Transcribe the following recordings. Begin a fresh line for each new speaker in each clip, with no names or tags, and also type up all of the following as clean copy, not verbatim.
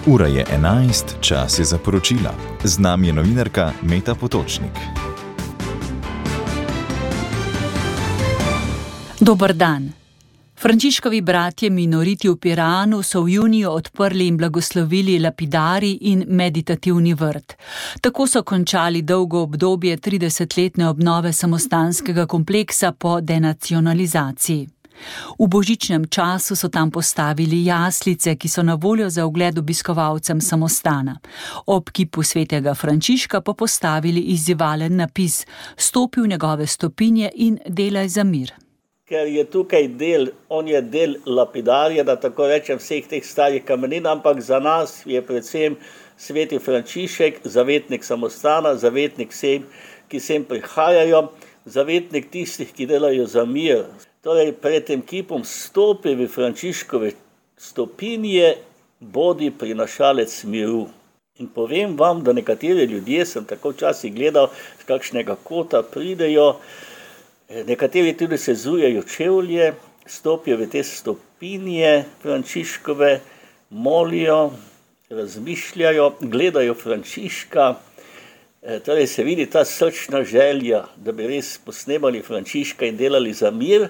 Ura je 11, čas je za poročila. Z nami je novinarka Meta Potočnik.
Dober dan. Frančiškovi bratje minoriti v Piranu so v juniju odprli in blagoslovili lapidari in meditativni vrt. Tako so končali dolgo obdobje 30-letne obnove samostanskega kompleksa po denacionalizaciji. V božičnem času so tam postavili jaslice, ki so na voljo za ogled obiskovalcem samostana. Ob kipu svetega Frančiška pa postavili izzivalen napis: "Stopi v njegove stopinje in delaj za mir."
Ker je tukaj on je del lapidarja, da tako rečem, vseh teh starih kamenin, ampak za nas je predvsem sveti Frančišek, zavetnik samostana, zavetnik vsem, ki sem prihajajo, zavetnik tistih, ki delajo za mir. Torej, pred tem kipom stopi v Frančiškove stopinje, bodi prinašalec miru. In povem vam, da nekateri ljudje, sem tako včasih gledal, z kakšnega kota pridejo, nekateri tudi sezujejo čevlje, stopijo v te stopinje Frančiškove, molijo, razmišljajo, gledajo Frančiška. Torej se vidi ta srčna želja, da bi res posnemali Frančiška in delali za mir.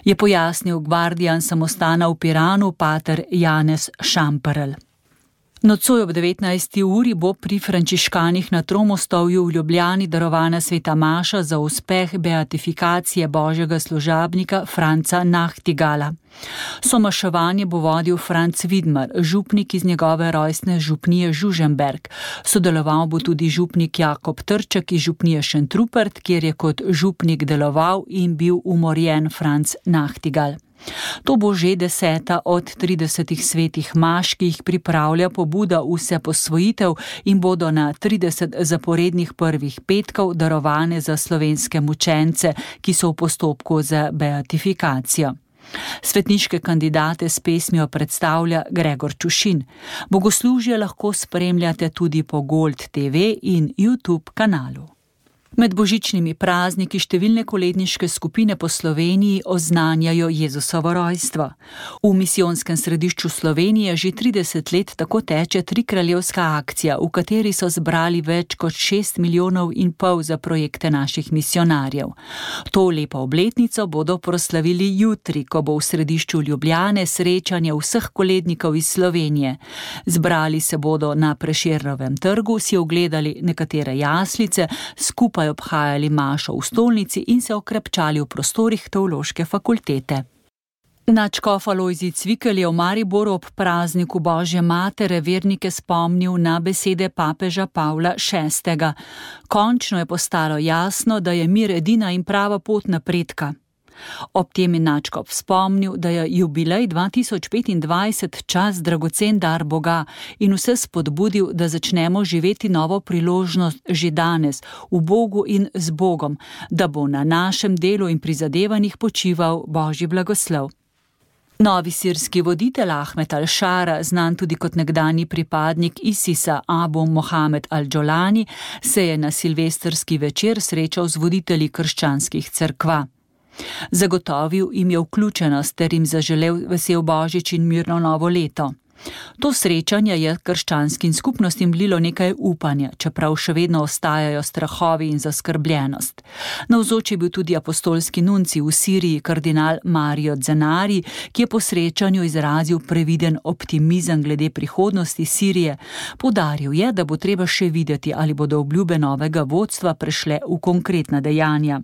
Je pojasnil gvardijan samostana v Piranu pater Janez Šamperl. Nocoj ob 19. uri bo pri frančiškanih na Tromostovju v Ljubljani darovana sveta maša za uspeh beatifikacije božjega služabnika Franca Nachtigala. Somaševanje bo vodil Franc Vidmar, župnik iz njegove rojstne župnije Žužemberk. Sodeloval bo tudi župnik Jakob Trček iz župnije Šentrupert, kjer je kot župnik deloval in bil umorjen Franc Nachtigal. To bo že 10. od 30 svetih maš, ki jih pripravlja pobuda Vseposvojitev in bodo na 30 zaporednih prvih petkov darovane za slovenske mučence, ki so v postopku za beatifikacijo. Svetniške kandidate s pesmijo predstavlja Gregor Čušin. Bogoslužje lahko spremljate tudi po Gold TV in YouTube kanalu. Med božičnimi prazniki številne koledniške skupine po Sloveniji oznanjajo Jezusovo rojstvo. V misijonskem središču Slovenije že 30 let tako teče trikraljevska akcija, v kateri so zbrali več kot 6,5 milijonov za projekte naših misijonarjev. To lepo obletnico bodo proslavili jutri, ko bo v središču Ljubljane srečanje vseh kolednikov iz Slovenije. Zbrali se bodo na Prešernovem trgu, si ogledali nekatere jaslice, skupaj obhajali mašo v stolnici in se okrepčali v prostorih teološke fakultete. Nadškof Alojzij Cvikl je v Mariboru ob prazniku Božje matere vernike spomnil na besede papeža Pavla VI. Končno je postalo jasno, da je mir edina in prava pot napredka. Ob tem je nadškof spomnil, da je jubilej 2025 čas dragocen dar Boga in vse spodbudil, da začnemo živeti novo priložnost že danes, v Bogu in z Bogom, da bo na našem delu in prizadevanjih počival Božji blagoslov. Novi sirski voditelj Ahmed al-Šara, znan tudi kot nekdanji pripadnik ISIS-a Abu Mohamed al-Džolani, se je na silvestrski večer srečal z voditelji krščanskih cerkva. Zagotovil jim je vključenost ter jim zaželel vesel božič in mirno novo leto. To srečanje je krščanskim skupnostim vlilo nekaj upanja, čeprav še vedno ostajajo strahovi in zaskrbljenost. Navzoč je bil tudi apostolski nuncij v Siriji kardinal Mario Zenari, ki je po srečanju izrazil previden optimizem glede prihodnosti Sirije. Poudaril je, da bo treba še videti, ali bodo obljube novega vodstva prešle v konkretna dejanja.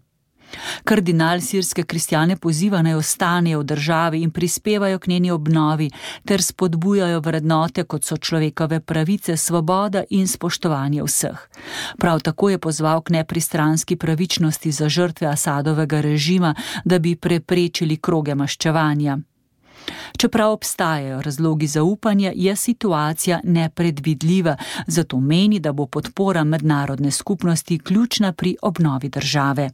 Kardinal sirske kristjane poziva, naj ostanejo v državi in prispevajo k njeni obnovi ter spodbujajo vrednote, kot so človekove pravice, svoboda in spoštovanje vseh. Prav tako je pozval k nepristranski pravičnosti za žrtve Asadovega režima, da bi preprečili kroge maščevanja. Čeprav obstajajo razlogi za upanje, je situacija nepredvidljiva, zato meni, da bo podpora mednarodne skupnosti ključna pri obnovi države.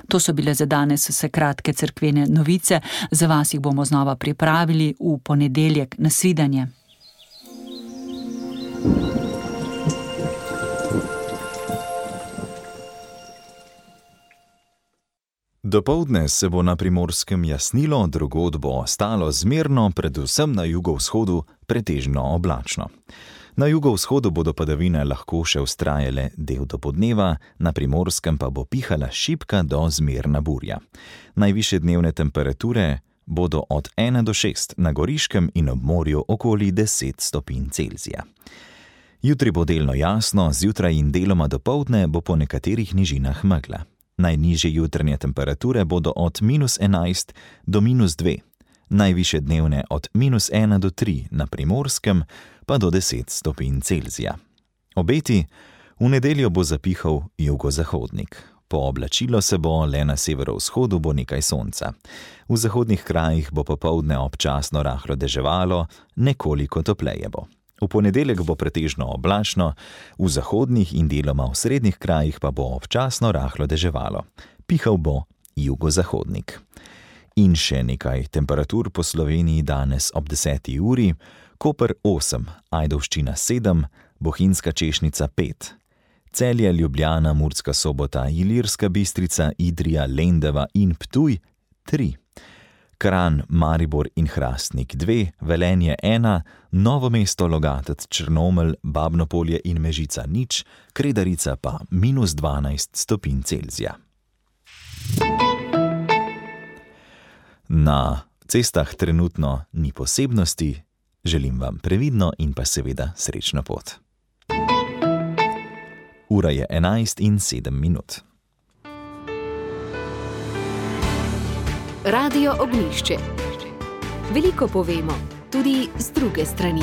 To so bile za danes vse kratke cerkvene novice, za vas jih bomo znova pripravili v ponedeljek. Nasvidenje.
Dopoldne se bo na Primorskem jasnilo, drugod bo ostalo zmerno, predvsem na jugovzhodu pretežno oblačno. Na jugovzhodu bodo padavine lahko še vztrajale del dopoldneva, na Primorskem pa bo pihala šibka do zmerna burja. Najvišje dnevne temperature bodo od 1 do 6, na Goriškem in ob morju okoli 10 stopinj Celzija. Jutri bo delno jasno, zjutraj in deloma dopoldne bo po nekaterih nižinah megla. Najnižje jutranje temperature bodo od -11 do -2, najvišje dnevne od -1 do 3, na Primorskem pa do 10 stopinj Celzija. Obeti: v nedeljo bo zapihal jugozahodnik. Pooblačilo se bo, le na severovzhodu bo nekaj sonca. V zahodnih krajih bo popoldne občasno rahlo deževalo, nekoliko topleje bo. V ponedeljek bo pretežno oblačno, v zahodnih in deloma v srednjih krajih pa bo občasno rahlo deževalo. Pihal bo jugozahodnik. In še nekaj temperatur po Sloveniji danes ob 10. uri: Koper 8, Ajdovščina 7, Bohinjska Češnica 5, Celje, Ljubljana, Murska Sobota, Ilirska Bistrica, Idrija, Lendava in Ptuj 3, Kranj, Maribor in Hrastnik 2, Velenje 1, Novo mesto, Logatec, Črnomelj, Babnopolje in Mežica 0, Kredarica pa -12 stopinj Celzija. Na cestah trenutno ni posebnosti, želim vam previdno in pa seveda srečno pot. Ura je 11:07.
Radio Ognjišče. Veliko povemo, tudi z druge strani.